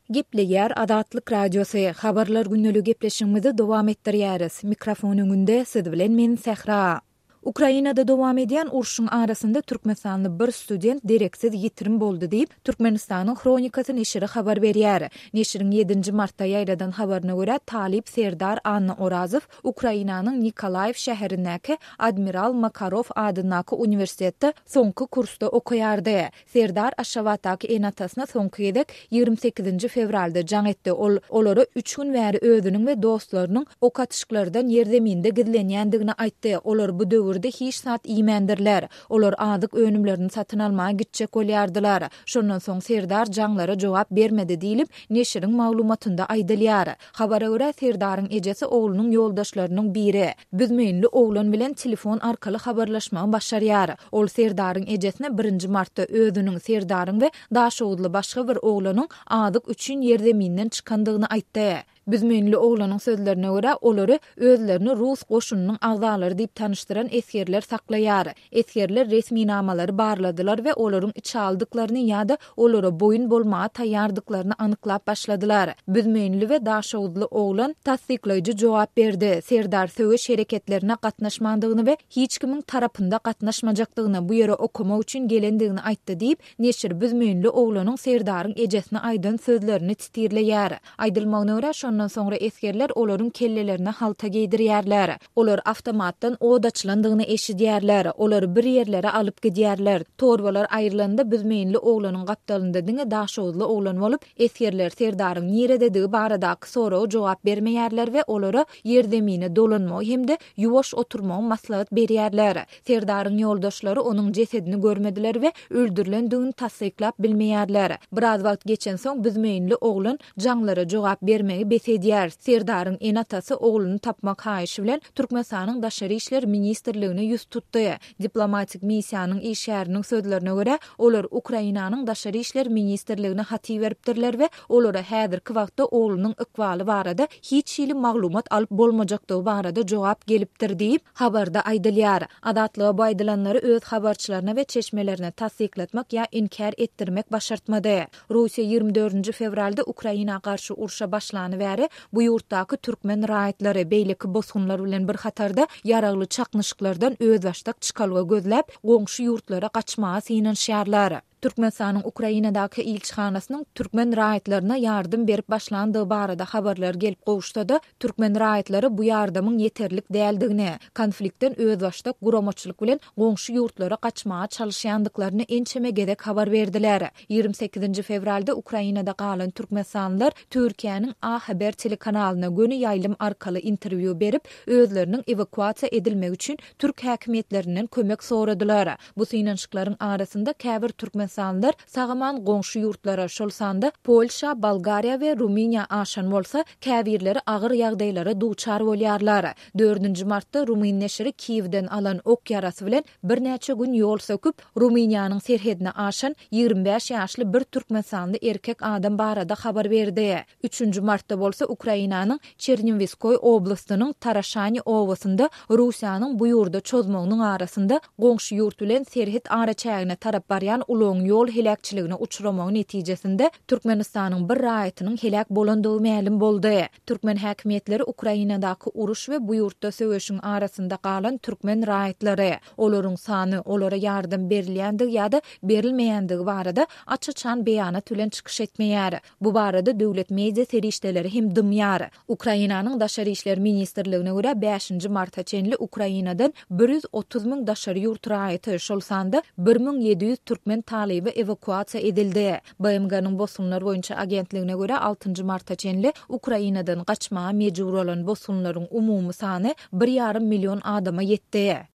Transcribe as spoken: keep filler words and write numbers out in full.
Gepleýär Azatlyk Radiosy, Habarlar gündeligi gepleşigimizi dowam etdirýäris. Mikrofon öňünde siz bilen men Sähra. Ukrainada dowam edýän urşuň arasynda türkmenistanly bir student dereksiz ýitirim boldy diýip, Türkmenistanyň Hronikasy neşiri habar berýär. Neşiriň ýedinji martda ýaýradan habaryna görä, talyp Serdar Annaorazow Ukrainanyň Nikolaýew şäherindäki Admiral Makarow adyndaky uniwersitetde soňky kursda okaýardy. Serdar Aşgabatdaky ene-atasyna soňky gezek ýigrimi sekizinji fewralda jaň etdi. Ol olara üç gün bäri özüniň we dostlarynyň ok atyşyklardan ýerzeminde gizlenýändigini aýtdy. Olar bu döwürde hiç zat iýmändirler. Olar azyk önümlerini satyn almaga gitjek bolýardylar. Şondan soň Serdar jaňlara jogap bermedi diýlip, neşiriň maglumatynda aýdylýar. Habara görä, Serdaryň ejesi oglunyň ýoldaşlarynyň biri, büzmeýinli oglan bilen telefon arkaly habarlaşmagy başarýar. Ol Serdaryň ejesine birinji martda özüniň, Serdaryň we daşoguzly başga bir oglanyň azyk üçin ýerzeminden çykandygyny aýtdy. Büzmeýinli oglanyň sözlerine görä, olary özlerini rus goşunynyň agzalary diýip tanyşdyran esgerler saklaýar. Esgerler resminamalary barladylar we olaryň içalydyklaryny ýa-da olara boýun bolmaga taýýardyklaryny anyklap başladylar. Büzmeýinli we daşoguzly oglan tassyklaýjy jogap berdi. Serdar söweş hereketlerine gatnaşmandygyny we hiç kimiň tarapynda gatnaşmajakdygyny, bu ýere okamak üçin gelendigini aýtdy diýip, neşir büzmeýinli oglanyň Serdaryň ejesine aýdan sözlerini titirleýär. Aýdylmagyna görä, şondan soňra esgerler olaryň kellelerine halta geýdirýärler. Olar awtomatdan od açylandygyny eşidýärler. Olary bir ýerlere alyp gidýärler. Torbalar aýrylanda büzmeýinli oglanyň gapdalynda diňe daşoguzly oglan bolup, esgerler Serdaryň nirededigi baradaky soraga jogap bermeýärler we olara ýerzemine dolanmagy hem-de ýuwaş oturmagy maslahat berýärler. Serdaryň ýoldaşlary onuň jesedini görmediler we öldürilendigini tassyklap bilmeýärler. Biraz wagt geçensoň büzmeýinli oglan jaňlara jogap bermegi bes edýär. Serdaryň ene-atasy ogluny tapmak haýyşy bilen Türkmenistanyň Daşary işler ministrligine ýüz tutdy. Diplomatik missiýanyň işgäriniň sözlerine görä, olar Ukrainanyň Daşary işler ministrligine hat iberipdirler we olara häzirki wagtda oglunyň ykbaly barada hiç hili maglumat alyp bolmajakdygy barada jogap gelipdir diýip, habarda aýdylýar. Azatlyga bu aýdylanlary öz habarçylaryna we çeşmelerine tassyklatmak ýa inkär etdirmek başartmady. Russiýa ýigrimi dördünji fewralda Ukraina garşy urşa başlany bäri bu ýurtdaky türkmen raýatlary beýleki bosgunlar bilen bir hatarda ýaragly çaknyşyklardan özbaşdak çykalga gözläp, goňşy ýurtlara gaçmaga synanyşýarlar. Türkmenistanyň Ukrainadaky ilçihanasynyň türkmen raýatlaryna ýardam berip başlandygy barada habarlar gelip gowuşsa-da, türkmen raýatlary bu ýardamyň ýeterlik däldigini, konfliktden özbaşdak guramaçylyk bilen goňşy ýurtlara gaçmaga çalyşýandyklaryny ençeme gezek habar berdiler. Ýigrimi sekizinji fewralda Ukrainada galan türkmenistanlylar Türkiýäniň A Haber telekanalyna göni ýaýlym arkaly interwýu berip, özleriniň ewakuasiýa edilmegi üçin türk häkimiýetlerinden kömek soradylar. Bu synanyşyklaryň arasynda käbir türkmenistanlylar sag-aman goňşy ýurtlara, şol sanda Polşa, Bolgariýa we Rumyniýa aşan bolsa, käbirleri agyr ýagdaýlara duçar bolýarlar. Dördünji martda rumyn neşiri Kiýewden alan ok ýarasy bilen birnäçe gün ýol söküp, Rumyniýanyň serhedine aşan ýigrimi bäş ýaşly bir türkmenistanly erkek adam barada habar berdi. Üçünji martda bolsa Ukrainanyň Çerniwiskoý oblastynyň Taraşani obasynda Russiýanyň bu ýurda çozmagynyň arasynda goňşy ýurt bilen serhet araçägine tarap barýan ulagyň ýol heläkçiligine uçramagy netijesinde Türkmenistanyň bir raýatynyň heläk bolandygy mälim boldy. Türkmen häkimiýetleri Ukrainadaky uruş we bu ýurtda söweşiň arasynda galan türkmen raýatlary, olaryň sany, olara ýardam berilýändigi ýa-da berilmeýändigi barada aç-açan beýanat bilen çykyş etmeýär. Bu barada döwlet media serişdeleri hem dymýar. Ukrainanyň Daşary işler ministrligine görä, bäşinji marta çenli Ukrainadan bir ýüz otuz müň daşary ýurt raýaty, şol sanda bir müň ýedi ýüz türkmen talyby ewakuasiýa edildi. B M G-niň bosgunlar boýunça agentligine görä, altynjy marta çenli Ukrainadan gaçmaga mejbur bolan bosgunlaryň umumy sany bir ýarym million adama ýetdi.